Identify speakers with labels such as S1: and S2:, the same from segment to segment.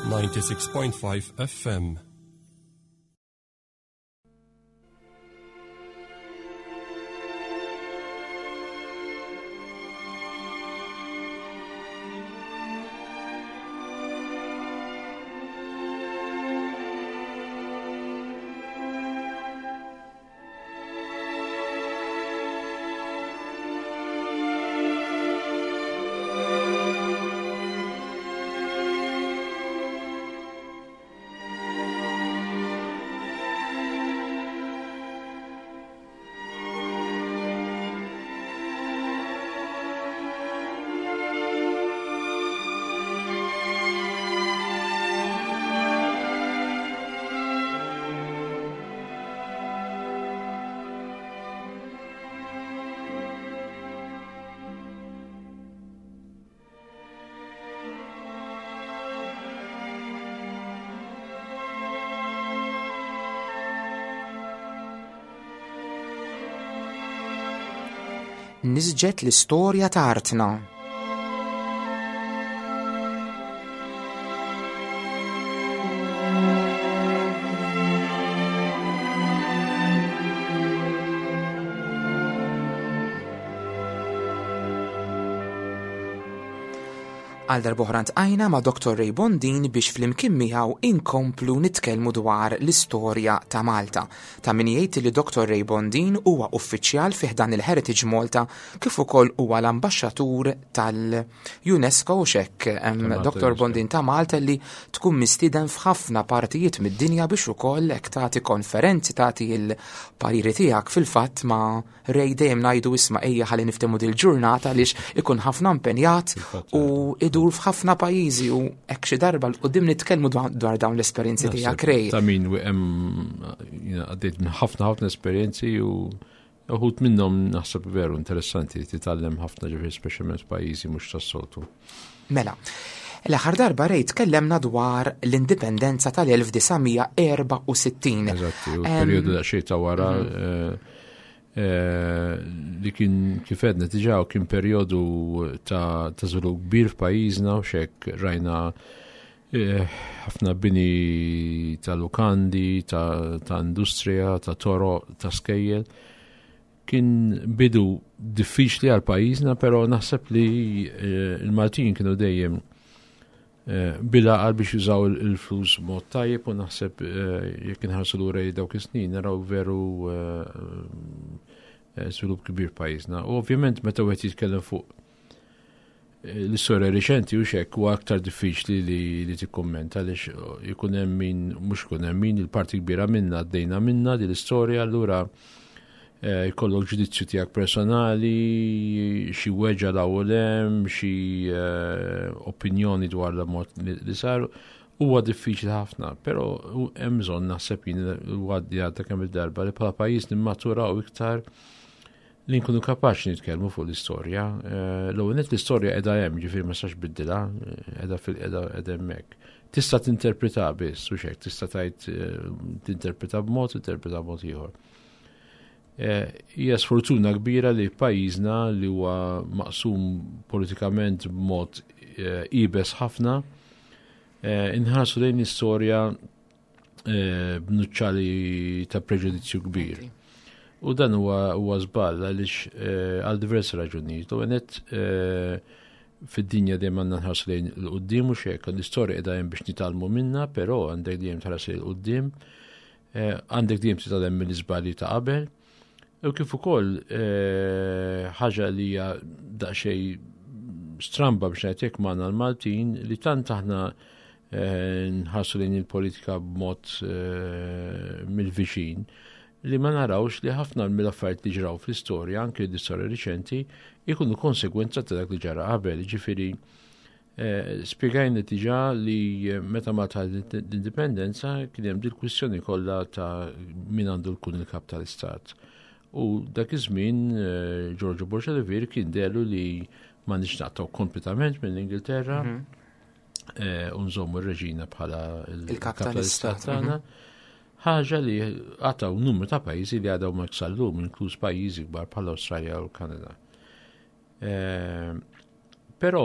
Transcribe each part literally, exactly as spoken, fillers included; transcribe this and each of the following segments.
S1: ninety-six point five F M.
S2: Nisġet l-istorja ta' artna. Għal darb'oħra ntqajna ma' Doktor Ray Bondin biex flimkien miegħu inkomplu nitkellmu dwar l-istorja ta' Malta. Ta' min jgħid li Doktor Ray Bondin huwa uffiċjal fi ħdan il-Heritage Malta kif ukoll huwa l-ambaxxatur tal-UNESCO u xek, em,
S3: Ta' Malta,
S2: Doktor
S3: UNESCO.
S2: Bondin ta' Malta li tkun mistieden f'ħafna partijiet mid-dinja biex ukoll hekk tagħti konferenzi, tagħti l-pariri tiegħek. Fil-fatt ma' Ray dejjem ngħidu isma' ejja ħalli niftehmu dil-ġurnata għaliex ikun ħafna impenjat
S3: Fil-fatt,
S2: u idur f'ħafna pajjiżi u hekk xi darba l qudiem nitkellmu dwa-, dwar dawn l-esperjenzi
S3: Naħseb
S2: tiegħek, Ray.
S3: Ta' min u hemm, jiena għaddejt minn ħafna, ħafna esperjenzi u uħud minnhom naħseb veru interessanti li titgħallem ħafna, ġifieri speċjalment f'pajjiżi mhux tas-soltu.
S2: Mela, l-aħħar darba Ray tkellemna dwar l-indipendenza tal-elf disa' mija erba' u sittin.
S3: Eżatti, u
S2: Em,
S3: perjodu daqsxejn ta' wara,
S2: mhm.
S3: eh, eh, li kien kif għedna diġà kien perjodu ta', ta' żvilupp kbir f'pajjiżna u xek rajna, eh, ħafna bini ta' lukandi, ta', ta' industrija, ta' toroq, ta' skejjel. Kien bidu diffiċli għal pajjiżna, però naħseb li, eh, il-Maltin kienu dejjem, eh, bil-għaqal biex jużaw il-, il-flus b'mod tajjeb u naħseb, eh, jekk inħarsu lura dawk is-snin naraw veru, eh, eh, żvilupp kbir pajjiżna. U ovvjament meta wieħed jitkellem fuq, eh, l-istorja riċenti u xek huwa aktar diffiċli li, li tikkummenta għaliex ikun hemm min, mhux ikun hemm min, il-parti kbira minna għaddejna minna din l-istorja, allura, eh, jkollok ġudizzju tiegħek personali, xi weġġa l hawn hemm, xi, eh, opinjoni dwar l-mod li, li saru. Huwa diffiċli ħafna, però hu-, hemm bżonn naħseb jien għaddi għadda kemm il-darba li bħala pajjiż nimmaturaw iktar li nkunu kapaċi nitkellmu fuq l-istorja. Eh, l-ewwel nett l-istorja qiegħda hemm, ġifieri ma sax biddilha, eh, qiegħda fil-, qiegħda, qiegħda hemmhekk. Tista' tinterpreta biss, u xek, tista' tgħid, eh, tinterpreta b'mod, tinterpreta b'mod ieħor. Eh, hija sfortuna kbira li pajjiżna li huwa maqsum politikament b'mod, eh, ibes ħafna, eh, inħarsu lejn l-istorja, eh, b'nuċċali ta' preġudizzju kbir.
S2: Ok.
S3: U dan huwa, huwa żball għaliex, eh, għal diversi raġunijiet. U għenet, eh, fid-dinja dejjem għandna nħarsu lejn il-qudiem u xek, l-istorja qiegħda hemm biex nitgħallmu minnha, però għandek dejjem tħares lejn il-qudiem, eh, għandek dejjem titgħallem mill-iżbalji ta' qabel. U kif ukoll, eh, ħaġa li hija daqsxejn stramba biex ngħid hekk magħna l-Maltin li tant aħna, eh, nħarsu lejn il-politika b'mod, eh, mill-viċin li ma narawx li ħafna mill-affarijiet li ġraw fl-istorja, anke l-istorja riċenti, ikunu konsegwenza ta' dak li ġara qabel. Ġifieri, eh, spjegajna diġà li meta Malta ħadet l-indipendenza kien hemm dil-kwistjoni kollha ta' min għandu jkun il-kap tal-istat. U dak iż-żmien, eh, Giorgio Borg Olivier kien delu li ma nix naqtaw kompletament mill-Ingilterra,
S2: Mhm.
S3: eh, u nżommu r-reġina bħala il-
S2: Il-kap
S3: kap
S2: tal-istat,
S3: tal-istat tagħna.
S2: mhm.
S3: Ħaġa li għataw numru ta' pajjiżi li għadaw ma sal-lum, inkluż pajjiżi kbar bħala Awstralja u l-Kanada. Eh, Però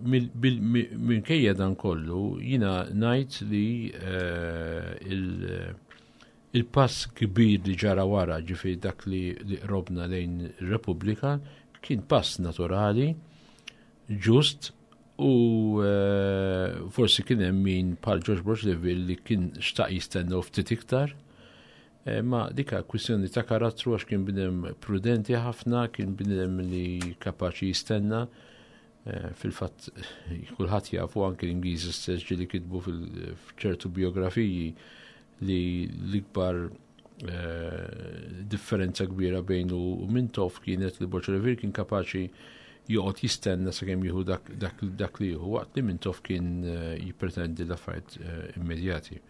S3: minkejja dan kollu jiena ngħid li eh, il-pass kbir li ġara wara, ġifieri dak li qrobna lejn Repubblika, kien pass naturali, ġust, u eh, forsi kien hemm min bħal George Borg Olivier li kien xtaq jistennew ftit iktar. Eh, ma dika kwistjoni ta' karattru, għax kien bniedem prudenti ħafna, kien bniedem li kapaċi jistenna. Eh, fil-fatt kulħadd jafu, anke l-Ingliżi stess ġieli kitbu f'ċertu biografiji, li l-ikbar eh, differenza kbira bejnu u Mintoff kienet li Borg Olivier kien kapaċi joqgħod jistenna sakemm jieħu dak, dak, dak li jieħu, waqt li Mintoff kien eh, jippretendi l-affarijiet immedjati.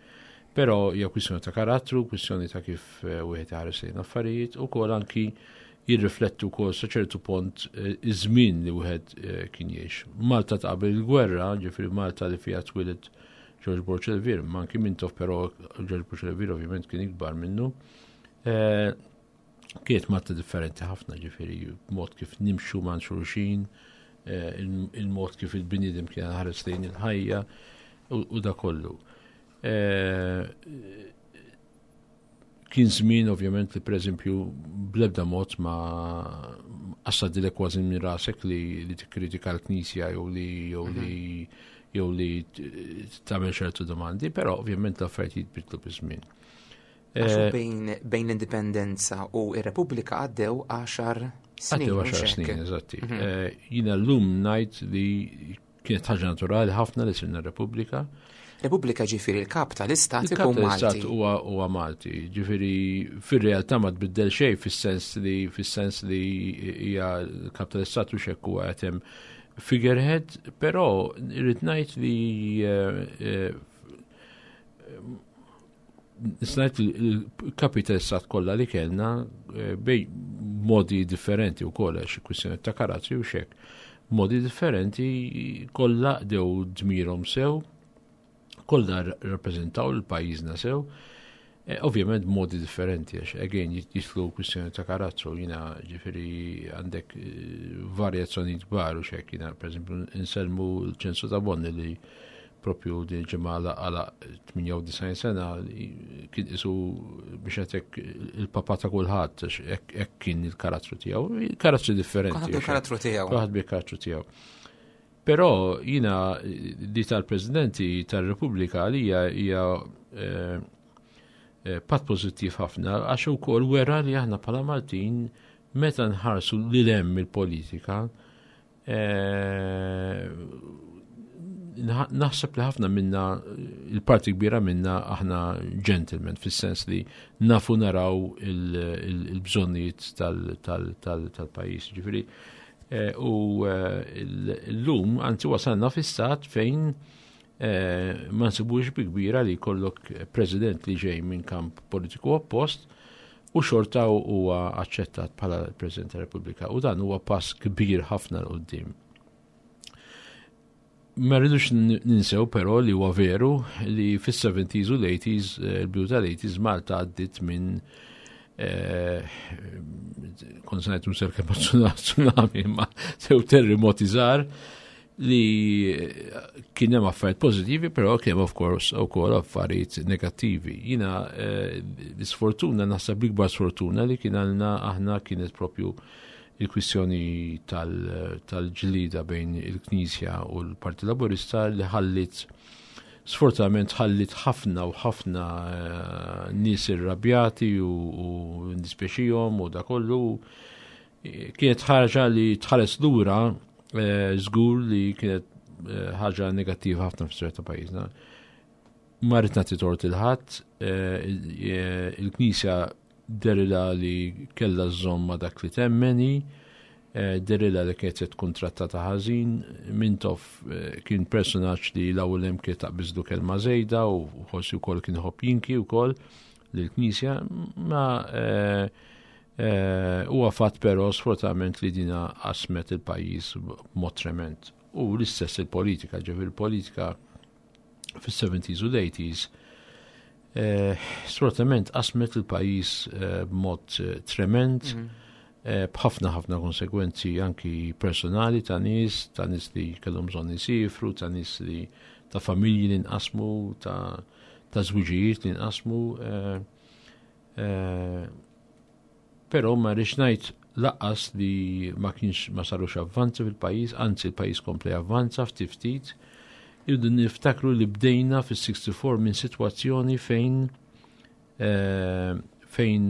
S3: Però hija kwistjoni ta' karattru, kwistjoni ta' kif wieħed iħares lejn affarijiet, ukoll anki jirriflettu wkoll sa ċertu punt eh, iż-żmien li wieħed eh, kien jgħix. Malta ta' qabel il-gwerra, ġifieri Malta li fiha twieled George Borg Olivier, ma anki Mintoff, però George Borg Olivier ovvjament kien ikbar minnu. Eh, kienet Malta differenti ħafna, ġifieri mod kif nimxu ma' xulxin, il-mod kif il-bniedem kien ħares lejn il-ħajja u da kollu. Kien żmien ovvjament li, pereżempju, bl-ebda mod ma għaddilek kważi minn rasek li, li tikkritika l-Knisja jew li jew li jew li tagħmel ċertu domandi, però ovvjament l-affarijiet jitbidlu biż-żmien.
S2: Għax bejn, bejn l-indipendenza u ir-Repubblika għaddew għaxar snin.
S3: Għaddew għaxar snin, eżatti. Mhm. Jiena llum ngħid li kienet ħaġa naturali ħafna li sirna Repubblika.
S2: Repubblika, ġifieri il-kap tal-istat ikun
S3: Malti. Huwa huwa Malti. Ġifieri fir-realtà ma tbiddel xejn fis-sens li fis-sens li hija l-kap tal-istat u xekk huwa qed hemm figurehead, però irrid ngħid li eh, eh, ngħid il-kapi tal-istat kollha li kellna eh, bej modi differenti u kollha xi kwistjoni ta' karattri u xek. Modi differenti kollha qdew dmirhom sew, kollha rappreżentaw l-pajjiżna sew, eh, ovvjament modi differenti, għax again jidħlu kwistjoni ta' karattru. Jiena ġifieri għandek eh, varjazzjoni kbar u xek, jiena per eżempju insellmu l-Ċensu Tabone li propju din ġimgħa għala tmienja u disgħin sena, kien isu biex għetek il-papa ta' kulħadd, hekk kien il-karattru tiegħu, karattri differenti.
S2: Kulħadd bil-karattru tiegħu.
S3: Kulħadd bil-karattru tiegħu. Però jiena di tal-Presidenti tal-Repubblika għalija hija eh, eh, pass pożittiv ħafna, għax ukoll wera li aħna bħala Maltin, meta nħarsu lil hemm il-politika, eh, naħseb li ħafna minna, il-parti kbira minna, aħna gentlemen, fis-sens li nafu naraw il-bżonnijiet tal-pajjiż. Ġifieri, eh, u eh, l-lum, anzi, wasalna fi stat fejn eh, ma nsibux bi kbira li jkollok president li ġej minn kamp politiku oppost u xorta huwa aċċettat bħala President tar-Repubblika, u dan huwa pass kbir ħafna 'l quddiem. Ma rridux ninsew però li huwa veru li fis-seventies u l-eighties, eh, il-bidu tal-eighties, Malta għaddit minn eh, kont se ngħid mhux kemm tsunami, ma sew terremoti żgħar li kien hemm affarijiet pożittivi, però kien hemm of course wkoll affarijiet negattivi. Jiena eh, l-isfortuna, naħseb l-ikbar sfortuna li kien għandna aħna kienet propju il-kwistjoni tal-ġlida bejn il-Knisja u l-Partit Laburista, li ħallit sfortunatament ħallit ħafna u ħafna eh, nies irrabjati u, u ndispjaċihom u da kollu. Kienet ħaġa li tħares lura eh, żgur li kienet eh, ħaġa negattiva ħafna fis ta' pajjiżna. Ma rrid nagħti tort lil ħadd, il-Knisja dehrilha li kellha żżomm ma' dak li temmen, eh, dehrilha li kienet se tkun trattata ħażin. Mintoff eh, kien personaġġ li l-ewwel hemm kien taqbiżlu kelma żejda u forsi wkoll kien iħobb jinki wkoll lill-Knisja, ma eh, huwa fatt però sfortunatament li dina qasmet il-pajjiż b'mod trement. U l-istess il-politika, ġifieri il-politika fis-seventies u l-eighties Eh, sfortunatament qasmet il-pajjiż eh, b'mod eh, trement. Mhm. B'ħafna ħafna konsekwenzi anki personali ta' nies, ta' nies li kellhom bżonn isifru, ta' nies li ta' familji li nqasmu, ta' ta' żwiġijiet li nqasmu. Però ma rridx ngħid lanqas li ma kienx ma sarux avvanzi fil-pajjiż, anzi l-pajjiż kompla avvanza ftit ftit. Irridu niftakru li bdejna fis-sixty-four minn sitwazzjoni fejn fejn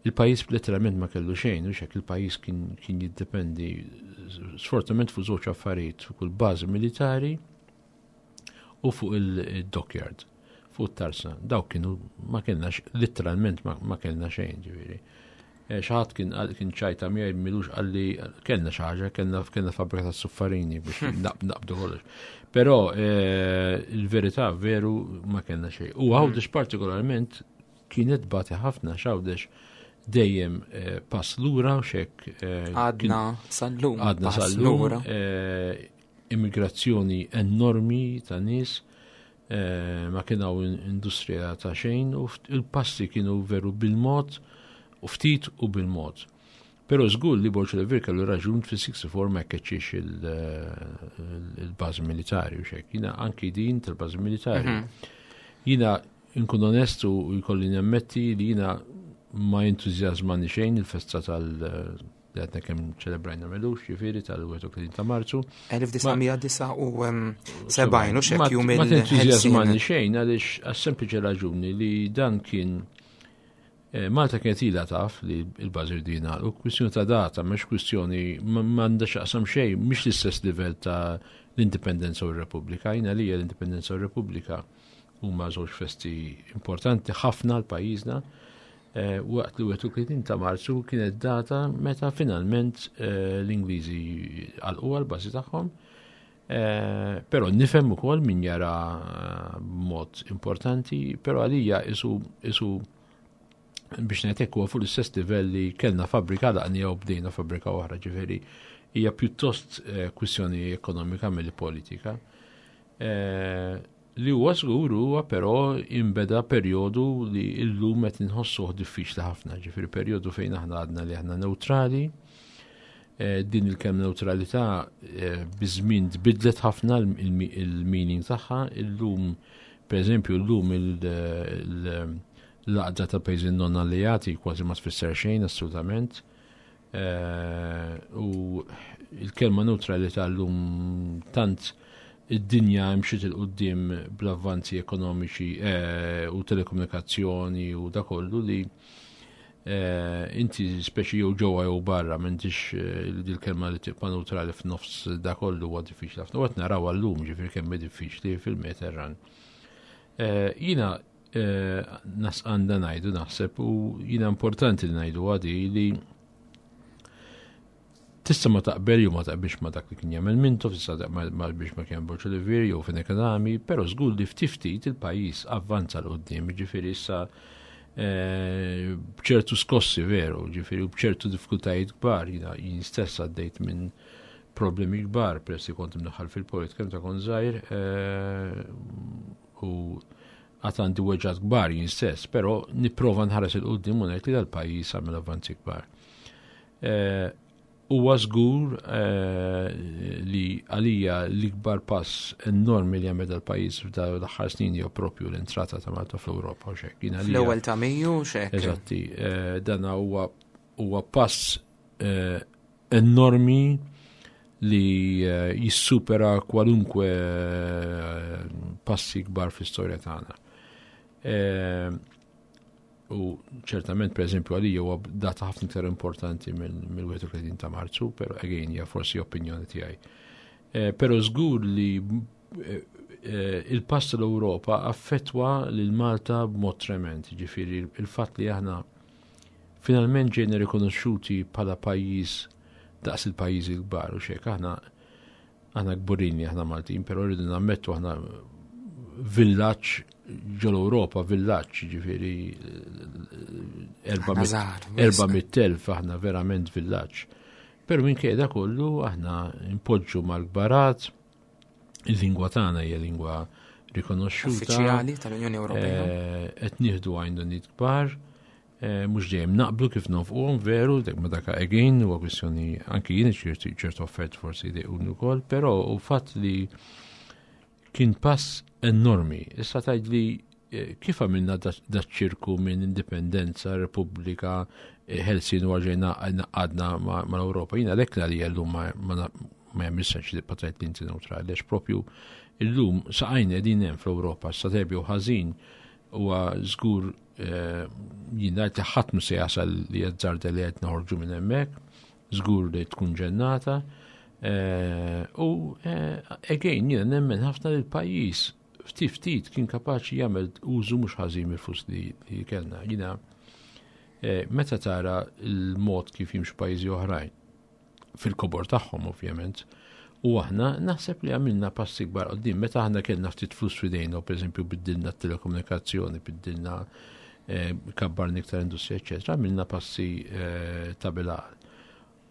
S3: il-pajjiż letteralment ma kellu xejn, u xek il-pajjiż kien, kien jiddependi sfortunatament fuq żewġ affarijiet, fuq il-bażi militari u fuq il-dockyard, fuq it-tarsna. Dawk kienu ma kellna letteralment ma, ma kellna xejn, ġifieri. Xi ħadd kien kien ċajta miegħi m'ilux qalli kellna xi ħaġa, kellna kellna fabbrika ta' suffarini biex naqbdu kollox. Però il-verità veru ma kellna xejn. U Għawdex partikolarment kienet bati ħafna, Għawdex dejjem pass lura u xek.
S2: Għadna sal-lum.
S3: Għadna sal-lum. Immigrazzjoni enormi ta' nies, ma kien hawn industrija ta' xejn u il-passi kienu veru bil-mod u ftit u bil-mod. Però żgur li Borg Olivier kellu raġun fis-sixty-four ma jkeċċix il-bażi militari u xek. Jiena anki din tal-bażi militari. Jiena nkun onestu u jkolli nammetti li jiena ma entużjażmani xejn il-festa tal- li għadna kemm ċelebrajna m'ilux, ġifieri tal-wieħed u tletin ta' Marzu.
S2: elf disa' mija disgħa u sebgħin u xek jum
S3: Ma tentużjażmani xejn għaliex għas-sempliċi raġuni li dan kien Malta kienet ilha taf li l-bażi dina u kwistjoni ta' data, mhux kwistjoni m'għandha x'taqsam xejn, mhix l-istess livell ta' l-Indipendenza u r-Repubblika. Jiena li l-Indipendenza u r-Repubblika huma żewġ festi importanti ħafna għal pajjiżna. Waqt li wieħed u tletin ta' Marzu kienet data meta finalment l-Ingliżi għalqu għal-bażi tagħhom. Però nifhem ukoll min jara mod importanti, però għalija isu isu biex ngħid huwa fuq l-istess livell li kellna fabbrika laqni u bdejna fabbrika oħra, ġifieri hija pjuttost kwistjoni ekonomika milli politika. Li huwa żgur huwa però imbeda perjodu li llum qed inħossuh diffiċli ħafna, ġifieri perjodu fejn aħna għadna li aħna neutrali. Din il-kelma neutralità biż-żmien tbidlet ħafna il-meaning tagħha. Illum, pereżempju, llum l-għaqda ta' pajjiżi non alleati kważi ma tfisser xejn assolutament. U il-kelma neutralità llum tant id-dinja mxiet 'il quddiem bl-avvanzi ekonomiċi u telekomunikazzjoni u da kollu li inti speċi jew ġewwa jew barra m'intix dil-kelma li tibqa' neutrali f'nofs da kollu huwa diffiċli ħafna. U qed naraw għallum ġifieri kemm diffiċli fil-Mediterran. Jiena nas għandna ngħidu naħseb u jiena importanti li ngħidu għadi li tista' ma taqbel jew ma taqbilx ma dak li kien jagħmel Mintoff, tista' ma taqbilx ma kien Borg Olivier jew Fenech Adami, però żgur li ftit ftit il-pajjiż avvanza 'l quddiem, ġifieri issa b'ċertu skossi veru, ġifieri u b'ċertu diffikultajiet kbar, jiena jien stess għaddejt minn problemi kbar peress li kont imdaħħal fil-politika meta kont żgħir u għad għandi weġgħat kbar jien stess, però nipprova nħares 'il quddiem u ngħid li dal-pajjiż għamel avvanzi kbar. Huwa żgur li għalija l-ikbar pass enormi li għamel dal-pajjiż f'dal-aħħar snin hija propju l-entrata ta' Malta fl-Ewropa u xek.
S2: Fl-ewwel ta' Mejju xek.
S3: Eżatti, dan huwa huwa pass enormi li jissupera kwalunkwe passi kbar fl-istorja tagħna. U ċertament, per eżempju, għalija huwa data ħafna iktar importanti mill-wieħed u tletin ta' Marzu, però again hija forsi opinjoni tiegħi. Però żgur li il-pass tal-Ewropa affettwa lil Malta b'mod trement, ġifieri il-fatt li aħna finalment ġejna rikonoxxuti bħala pajjiż daqs il-pajjiżi l-kbar u xek, aħna aħna kburin li aħna Maltin, però rridu nammettu aħna villaġġ ġol-Ewropa, villaġġ, ġifieri erba' mitt elf, aħna verament villaġġ. Però minkejja kollu aħna impoġġu mal-kbarat, il-lingwa tagħna hija lingwa rikonoxxuta.
S2: Uffiċjali tal-Unjoni Ewropea.
S3: Qed nieħdu għajnuniet kbar. Eh, mhux dejjem naqblu kif nonfquhom veru, dak ma daka again huwa kwistjoni anki jien ċertu ċertu offert forsi jdejquni wkoll, però u fatt li kien pass enormi. Issa tgħid li eh, kif għamilna da ċirku minn indipendenza, repubblika, eh, ħelsien u ġejna għadna mal-Ewropa. Jiena lek li llum ma ma jagħmilx sens li tgħid li inti neutrali, għax propju illum saqajna qegħdin hemm fl-Ewropa, sa tajjeb u ħażin huwa żgur eh, jien ngħid li ħadd mhu se jasal li jazzarda li qed noħorġu minn hemmhekk, żgur li tkun ġennata. Eh, u eh, again jiena nemmen ħafna li l-pajjiż ftit ftit kien kapaċi jagħmel użu mhux ħażin mill-flus li, li kellna. Jiena meta tara l-mod kif jimxu pajjiżi oħrajn fil-kobor tagħhom ovvjament, u aħna naħseb li għamilna passi kbar quddiem meta aħna kellna ftit flus f'idejna, pereżempju biddilna t-telekomunikazzjoni, biddilna eh, kabbarna iktar industrija, eċetera, għamilna passi eh, ta' bil-għaqal.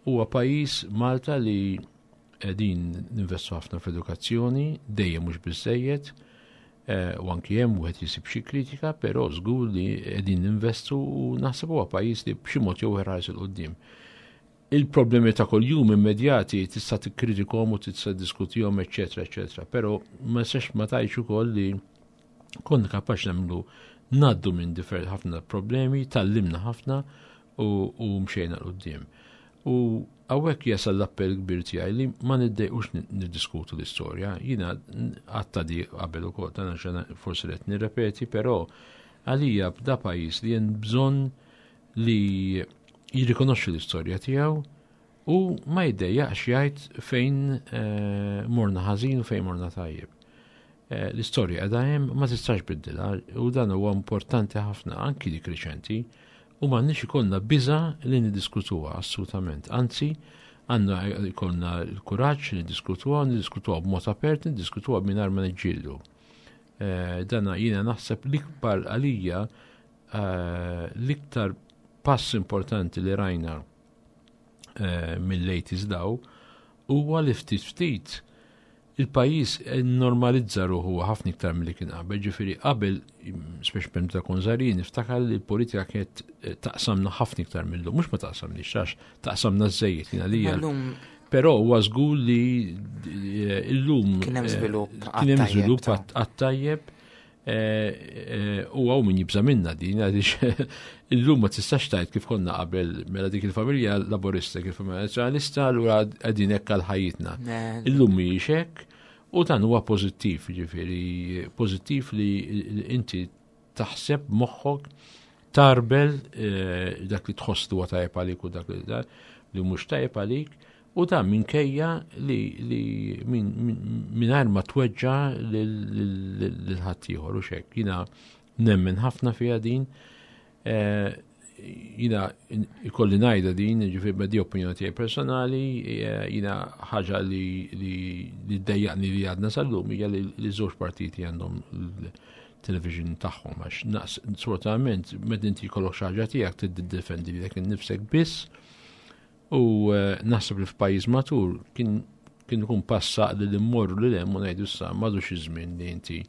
S3: Huwa pajjiż Malta li qegħdin ninvestu ħafna fl-edukazzjoni, dejjem mhux biżejjed, eh, u anki hemm wieħed jisib xi kritika, però żgur li qegħdin ninvestu u naħseb huwa pajjiż li b'xi mod jew ħares 'il quddiem. Il-problemi ta' kuljum immedjati tista' tikkritikhom u tista' diskutihom, eċetera, eċetera, però ma nistax ma tgħidx ukoll li konna kapaċi nagħmlu ngħaddu minn differ ħafna problemi, tgħallimna ħafna u, u mxejna 'l quddiem. U hawnhekk jasal l-appell kbir tiegħi li ma niddejqux niddiskutu l-istorja. Jiena għedtha di qabel ukoll, dan forsi qed nirrepeti, però għalija bda pajjiż li hemm bżonn li jirrikonoxxi l-istorja tiegħu u ma jiddejjaqx jgħid fejn eh, morna ħażin u fejn morna tajjeb. Eh, l-istorja qiegħda hemm, ma tistax tbiddilha u dan huwa importanti ħafna anki dik riċenti u m'għandniex ikollna biża li niddiskutuha assolutament. Anzi, għandna ikollna l-kuraġġ li niddiskutuha, niddiskutuha b'mod apert, niddiskutuha mingħajr ma niġġieldu. Eh, dana jiena naħseb l-ikbar għalija l-iktar pass importanti li rajna eh, mill-eighties 'l hawn huwa li ftit ftit il-pajjiż normalizza ruħu ħafna iktar milli kien qabel. Ġifieri qabel, speċi meta kont żgħir, niftakar li l-politika kienet eh, taqsamna ħafna iktar mill-lum, mhux ma taqsamniex, għax taqsamna żejjed jiena li. Però huwa żgur li eh, illum
S2: kien hemm żvilupp.
S3: Kien hemm żvilupp għat-tajjeb. Eh, eh, u hawn min jibża minna din, għaliex illum ma tistax tgħid kif konna qabel, mela dik il-familja Laburista, kif familja Nazzjonalista, allura qegħdin hekk għal ħajjitna. Illum mhijiex hekk u dan huwa pożittiv, ġifieri pożittiv li inti taħseb moħħok tarbel eh, dak li tħoss huwa tajjeb għalik u dak li li mhux tajjeb għalik. U dan minkejja li, li mingħajr ma tweġġa lil ħaddieħor u xek. Jiena nemmen ħafna fiha din. Eh, jiena ikolli ngħidha din, ġifieri b'di opinjoni tiegħi personali, eh, jiena ħaġa li li ddejjaqni li għadna sal-lum hija li żewġ partiti għandhom television tagħhom, għax sfortunatament meta inti jkollok xi ħaġa tiegħek tiddefendi lilek innifsek biss. U eh, naħseb li f'pajjiż matur kien kien ikun passa li l-immorru li hemm u ngħidu issa m'għadux iż-żmien li inti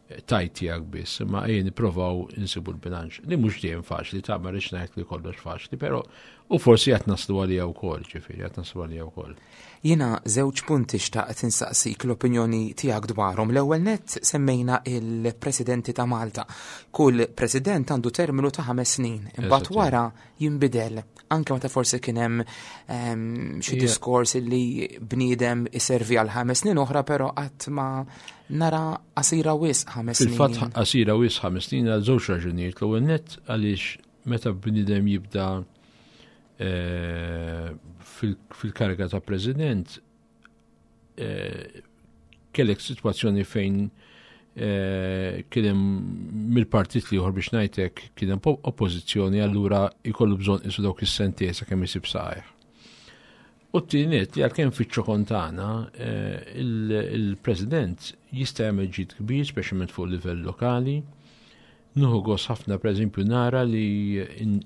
S3: tgħid tiegħek biss, imma ejja nipprovaw insibu l-bilanċ. Li mhux dejjem faċli, ta' ma rridx ngħid li kollox faċli, però u forsi qed naslu għalija wkoll, ġifieri qed naslu għalija wkoll.
S2: Jiena żewġ punti xtaqt insaqsik l-opinjoni tiegħek dwarhom. L-ewwel nett semmejna il-presidenti ta' Malta. Kull president għandu terminu ta' ħames snin. Imbagħad wara jinbidel. Anke meta forsi kien hemm ehm, xi diskors li bniedem iservi għal ħames snin oħra, però qatt ma nara qasira wisq ħames snin.
S3: Fil-fatt qasira wisq ħames snin għal żewġ raġunijiet. L-ewwel nett għaliex meta bniedem jibda eh, fil-kariga ta' president eh, kellek situazzjoni fejn eh, kien hemm mill-partit l-ieħor, biex ngħidlek, kien hemm oppożizzjoni, allura jkollu bżonn isu dawk is-sentejn sakemm isib saqajh. U t-tieni li għalkemm fiċ-ċokon tagħna eh, il-president jista' jagħmel ġid kbir, speċjalment fuq livell lokali. Nieħu gost ħafna, per eżempju, nara li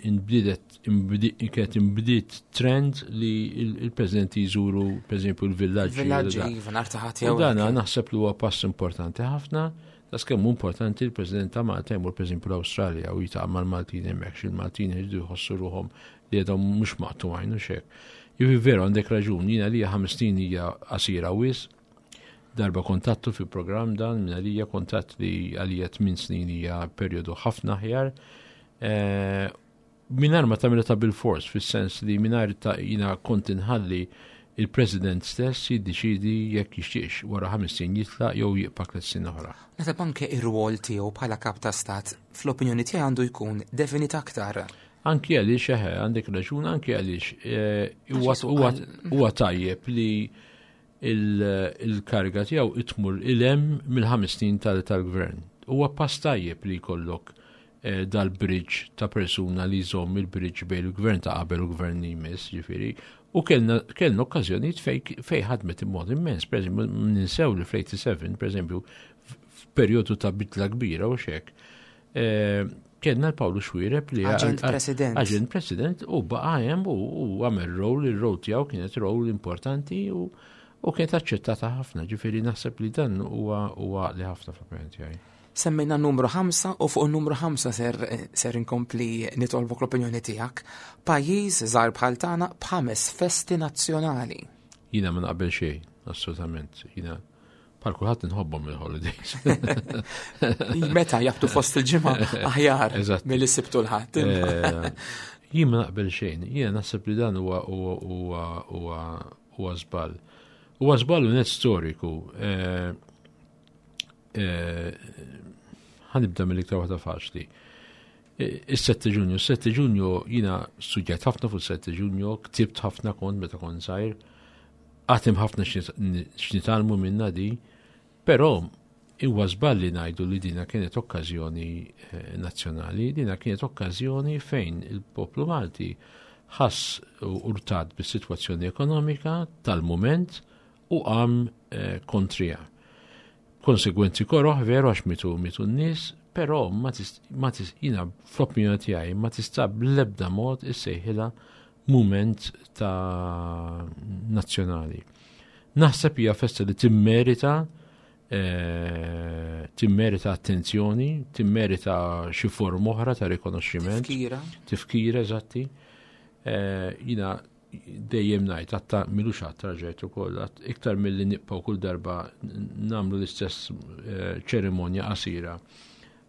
S3: inbdiet kienet inbdiet trend li il-presidenti jżuru, per eżempju, l-villaġġi.
S2: Villaġġi, iva, nhar ta' Ħadd jew.
S3: Dana naħseb li huwa pass importanti ħafna. Das kemm importanti l-President ta' Malta jmur, per eżempju, l-Awstralja u jiltaqa' mal-Maltin hemmhekk, il-Maltin jridu jħossu ruħhom li għedhom mhux maqtugħin u xek. Jivi veru għandek raġun, jiena li ħames snin hija qasira wisq, darba kontattu fi program dan, minn għalija kontatt li għalija tmien snin hija perjodu ħafna aħjar. Eh, mingħajr ma tagħmilha ta' bil-fors, fis-sens li mingħajr ta' jiena kont inħalli il-President stess jiddeċidi jekk jixtieqx wara ħames snin jitlaq jew jibqa' tliet snin oħra.
S2: Naħseb anke ir-rwol tiegħu bħala kap ta' stat fl-opinjoni tiegħi għandu jkun definit aktar.
S3: Anki għaliex, eħe, għandek raġun, anki għaliex eh, huwa tajjeb li il-kariga tiegħu tmur 'l hemm mill-ħames snin tal-gvern. Huwa pass tajjeb li jkollok eh, dal-bridge ta' persuna li jżomm il-bridge bejn il-gvern ta' qabel u gvern li jmiss, ġifieri, u kellna kellna okkażjonijiet fej ħadmet immod immens. Per eżempju, ninsew li fl-sebgħa u tmenin, per eżempju, f'perjodu ta' bidla kbira u xek, eh, kellna l-Pawlu Xuereb li
S2: Aġent President.
S3: Aġent President u baqa' hemm u għamel rol, il-rol tiegħu kienet rol importanti u u kienet aċċettata ħafna, ġifieri naħseb li dan huwa huwa li ħafna fl-opinjoni tiegħi.
S2: Semmejna numru ħamsa u fuq numru ħamsa ser, ser inkompli nitolbok l-opinjoni tiegħek. Pajjiż żgħar bħal tagħna b'ħames festi nazzjonali.
S3: Jiena ma naqbel xejn, assolutament. Jiena bħal kulħadd inħobbhom il-holidays.
S2: Meta jabtu fost il-ġimgħa aħjar milli s-Sibt u l-Ħadd.
S3: Eh, jien ma naqbel xejn, jiena naħseb li dan huwa huwa huwa huwa żball. Huwa żball net storiku. Eh, eh, ħa nibda mill-iktar waħda faċli. Is-sette Ġunju, is-sette Ġunju jiena studjat ħafna fuq is-sette Ġunju, ktibt ħafna kont meta kont żgħir, għad hemm ħafna x'nitgħallmu minna di, però huwa żball li ngħidu li dina kienet okkażjoni eh, nazzjonali, dina kienet okkażjoni fejn il-poplu Malti ħass urtat bis-sitwazzjoni ekonomika tal-moment u qam eh, kontrija. Konsegwenzi koroħ veru għax mitu mitu n-nies, però ma tis, jiena fl-opinjoni tiegħi ma tista' bl-ebda mod issejħilha mument ta' nazzjonali. Naħseb hija festa li timmerita eh, timmerita attenzjoni, timmerita xi form oħra ta' rikonoxximent.
S2: Tifkira.
S3: Tifkira, eżatti. Eh, jiena dejjem ngħid, għatta milux għatta raġajt ukoll, iktar milli nibqgħu kull darba nagħmlu l-istess eh, ċerimonja qasira.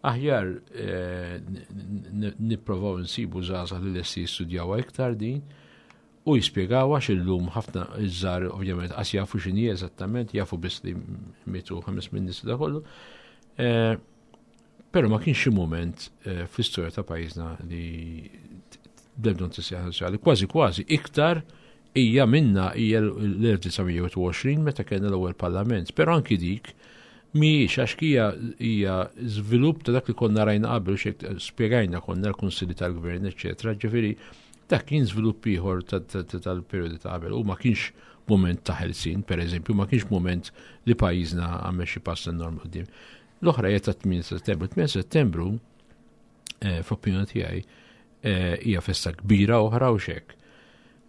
S3: Aħjar eh, nipprovaw nsibu żgħażagħ li lesti jistudjaw iktar din u jispjegaw, għax illum ħafna iż-żgħar ovvjament qas jafu x'inhi eżattament, jafu biss li mietu ħames min nies da kollu. Eh, però ma kienx xi mument fl-istorja ta' pajjiżna li bl-ebda tissejjaħ nazzjonali. Kważi kważi iktar hija minna hija l-elf disa' mija u wieħed u għoxrin meta kellna l-ewwel parlament, però anki dik mhijiex, għax hija hija żvilupp ta' dak li konna rajna qabel, xek spjegajna konna l-kunsilli tal-gvern, eċetera. Ġifieri dak kien żvilupp ieħor tal-perjodi ta' qabel u ma kienx moment ta' ħelsin, per eżempju, ma kienx moment li pajjiżna għamel xi pass enormi quddiem. L-oħra hija ta' tmienja Settembru. tmienja Settembru, eh, fl-opinjoni tiegħi, eh, hija festa kbira oħra u xek.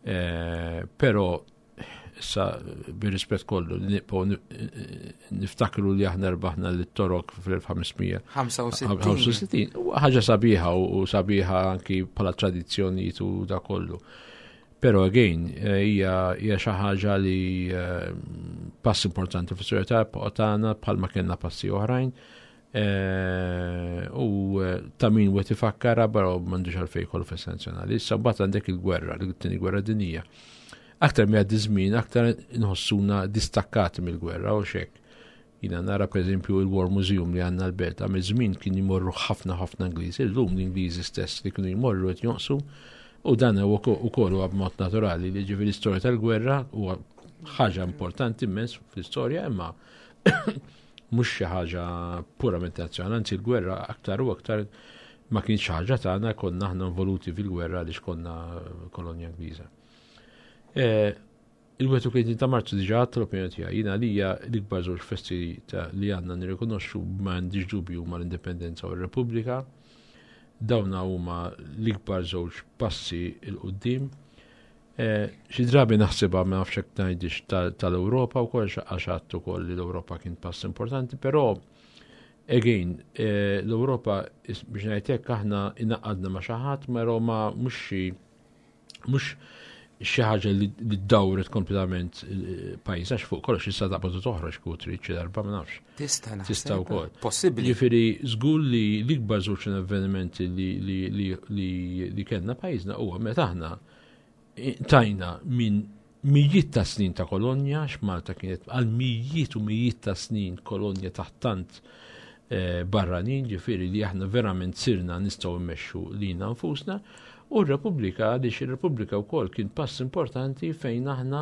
S3: Eh, però issa bir-rispett kollu li nibqgħu niftakru li aħna rbaħna lit-Torok fl-elf ħames mija ħamsa u sittin. Ħaġa sabiħa u sabiħa anki bħala tradizzjonijiet u da kollu. Però again, hija hija xi ħaġa li eh, pass importanti fis-soċjetà tagħna bħalma kellna passi oħrajn. Eh, u eh, ta' min wieħed ifakkara, però m'għandux għalfejn kollu festa nazzjonali. Issa mbagħad għandek il-gwerra, l-tieni gwerra dinija. Aktar mi għaddi żmien, aktar nħossuna distakkati mill-gwerra u xek. Jiena nara, per eżempju, il-War Museum li għandna l-Belt, għamil żmien kien jmorru ħafna ħafna Ingliżi, illum l-Ingliżi stess li kienu jmorru qed jonqsu, u dan huwa ukoll huwa b'mod naturali li ġifieri l-istorja tal-gwerra huwa ħaġa importanti immens fl-istorja, imma mhux xi ħaġa purament nazzjonali, anzi l-gwerra aktar u aktar ma kienx ħaġa tagħna, konna aħna involuti fil-gwerra għaliex konna kolonja Ingliża. Eh, Il-wieħed u tletin ta' Marzu diġà għadt l-opinjoni tiegħi. Jiena għalija l-ikbar żewġ festi li għandna nirrikonoxxu, ma għandix dubju, mal-Indipendenza u r-Repubblika. Dawna huma l-ikbar żewġ passi 'l quddiem. Eh, xi drabi naħsibha, ma nafx hekk ngħidix tal-Ewropa wkoll, għax għattu ukoll li l-Ewropa kien pass importanti, però again, eh, l-Ewropa, biex ngħidlek, aħna ingħaqadna ma' xi ħadd, però ma mhux xi mhux xi ħaġa li dawret kompletament eh, pajjiż, għax fuq kollox issa taqbad toħroġ kieku trid xi darba, ma nafx.
S2: Tista'.
S3: Tista' wkoll.
S2: Possibbli.
S3: Jiġifieri żgur li l-ikbar żewġ avvenimenti li, li, li, li, li kellna pajjiżna huwa meta aħna tajna minn mijiet ta' snin ta' kolonja, x'Malta kienet għal mijiet u mijiet ta' snin kolonja taħt tant eh, barranin, ġifieri li aħna verament sirna nistgħu mmexxu lilna nfusna, u r-Repubblika, għaliex ir-Repubblika wkoll kien pass importanti fejn aħna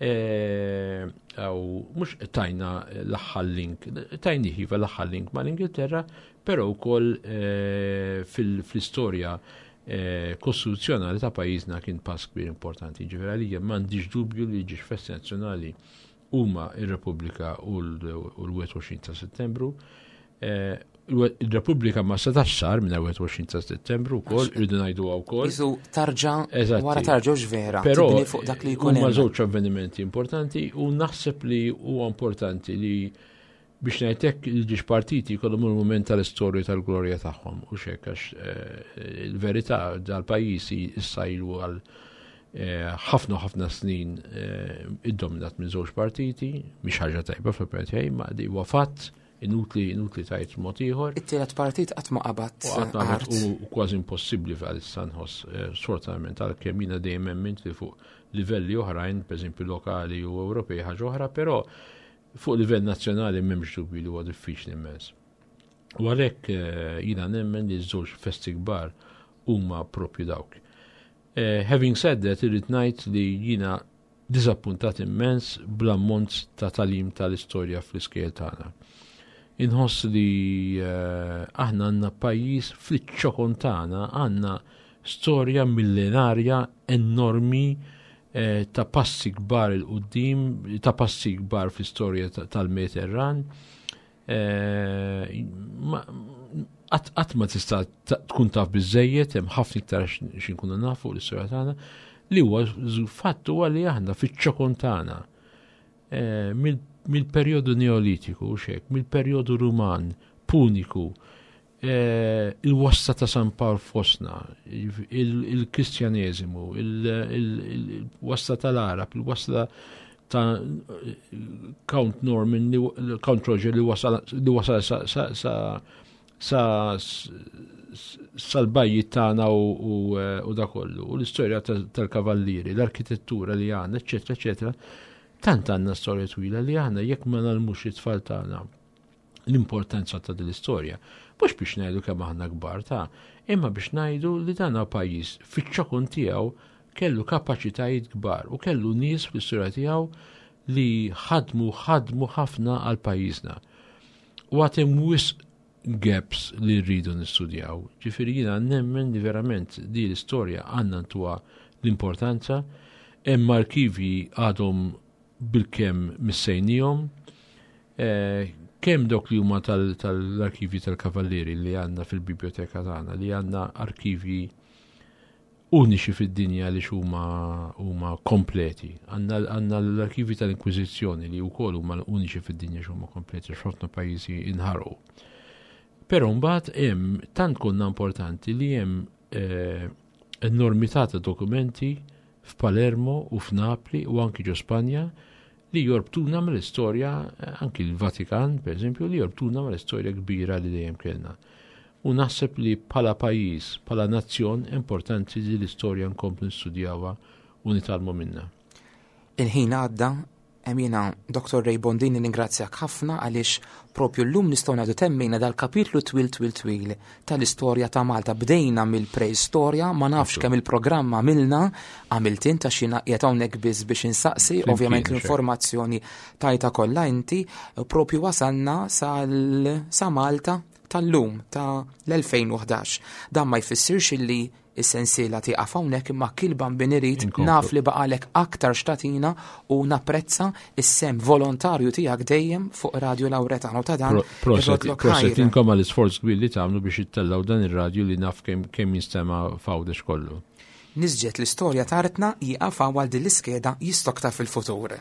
S3: eh, għaw mhux tajna l-aħħar link, tajni iva l-aħħar link mal-Ingilterra, però wkoll eh, fil-istorja eh, kostituzzjonali ta' pajjiżna kien pass kbir importanti. Ġifieri għalija m'għandix dubju li żewġ festi nazzjonali huma ir-Repubblika u l-wieħed u għoxrin ta' Settembru. Il-Repubblika ma setax sar minn wieħed u għoxrin ta' Settembru wkoll, irridu ngħidu wkoll.
S2: Isu tarġa wara tarġa vera,
S3: Però
S2: fuq dak li jkun.
S3: Huma żewġ avvenimenti importanti u naħseb li huwa importanti li, biex ngħidlek, il-żewġ partiti jkollhom il-mument tal-istorja tal-glorja tagħhom u xek, għax eh, il-verità dal-pajjiż issa ilu għal eh, ħafna ħafna snin eh, iddominat minn żewġ partiti, mhix ħaġa tajba fl-opinjoni tiegħi, ma di huwa fatt, inutli inutli tgħid mod ieħor.
S2: It-tielet partit qatt ma qabad.
S3: U kważi impossibbli għalissa nħoss, eh, sfortunatament, għalkemm jiena dejjem emmint li fuq livelli oħrajn, pereżempju lokali u Ewropej, ħaġa oħra, però fuq livell nazzjonali m'hemmx dubju li huwa diffiċli immens. U għalhekk eh, jiena nemmen li żewġ festi kbar huma propju dawk. Eh, having said that, irrid ngħid li jiena diżappuntat immens bl-ammont ta' tagħlim tal-istorja fl-iskejjel tagħna. Inħoss li uh, aħna għandna pajjiż, fl-ċokon tagħna għandna storja millenarja enormi eh, ta' passi kbar 'il quddiem, ta' passi kbar fl-istorja tal-Mediterran. Qatt ma tista' tkun taf biżejjed, hemm ħafna iktar x'inkunu nafu l-istorja tagħna, li huwa fatt huwa li aħna fiċ-ċokon tagħna mill-perjodu Neolitiku, xek, mill-perjodu Ruman, Puniku, eh, il-wasla ta' San Pawl fostna, il-Kristjaneżimu, il-wasla tal-Arab, il-wasla ta' Count Norman, Count Roger li wasal sa sa sal-bajjiet tagħna u da kollu, u l-istorja tal-kavallieri, l-arkitettura li għandna, eccetera, eccetera. Tant għandna storja twila li aħna jekk ma ngħallmux it-tfal tagħna l-importanza ta' din l-istorja, mhux biex ngħidu kemm aħna kbar ta', imma biex ngħidu li dan pajjiż fiċ-ċokon tiegħu kellu kapaċitajiet kbar u kellu nies fl-istorja tiegħu li ħadmu ħadmu ħafna għal pajjiżna. U għad hemm wisq gaps li rridu nistudjaw. Ġifieri jiena nemmen li verament di l-istorja għandna ntuha l-importanza, hemm arkivji għadhom bilkemm missejnihom, eh, kemm dawk li huma tal-arkivji tal-Kavallieri li għandna fil-biblioteka tagħna, li għandna arkivji uniċi fid-dinja li huma huma kompleti. Għandna l-arkivji tal-Inkwiżizzjoni li wkoll huma uniċi fid-dinja huma kompleti, x'ħafna pajjiżi inħarqu. Però mbagħad hemm tant konna importanti li hemm eh, enormità ta' dokumenti f'Palermo u f'Napli u anki ġo Spanja li jorbtuna mal-istorja, anki l-Vatikan, per eżempju, li jorbtuna mal-istorja kbira li dejjem kellna. U naħseb li bħala pajjiż, bħala nazzjon, importanti li l-istorja nkomplu nistudjawha u nitgħallmu minnha.
S2: Il-ħin għadda, jiena, Doktor Ray Bondin, ningrazzjak ħafna għaliex propju llum nistgħu ngħidu temmejna dal-kapitlu twil twil twil tal-istorja ta' Malta. Bdejna mill-preistorja, ma nafx kemm il-programm għamilna, għamilt int, għax jiena qiegħed hawnhekk biss biex insaqsi, ovvjament l-informazzjoni tajta kollha inti, propju wasalna sal sa Malta tal-lum ta' l-elfejn u ħdax. Dan ma jfissirx illi Is-sensiela tieqaf hawnhekk, imma kilban bin irid naf li baqalek aktar x'tagħtina u napprezza is-sehem volontarju tiegħek dejjem fuq Radio Lauretano ta' dan.
S3: Proset inkom għall-isforz kbir li tagħmlu biex ittellgħu dan ir-radju li naf kemm jinstema' f'Għawdex kollu.
S2: Nisġet l-istorja t'artna jieqaf għal din l-iskeda, jistokta fil-futur.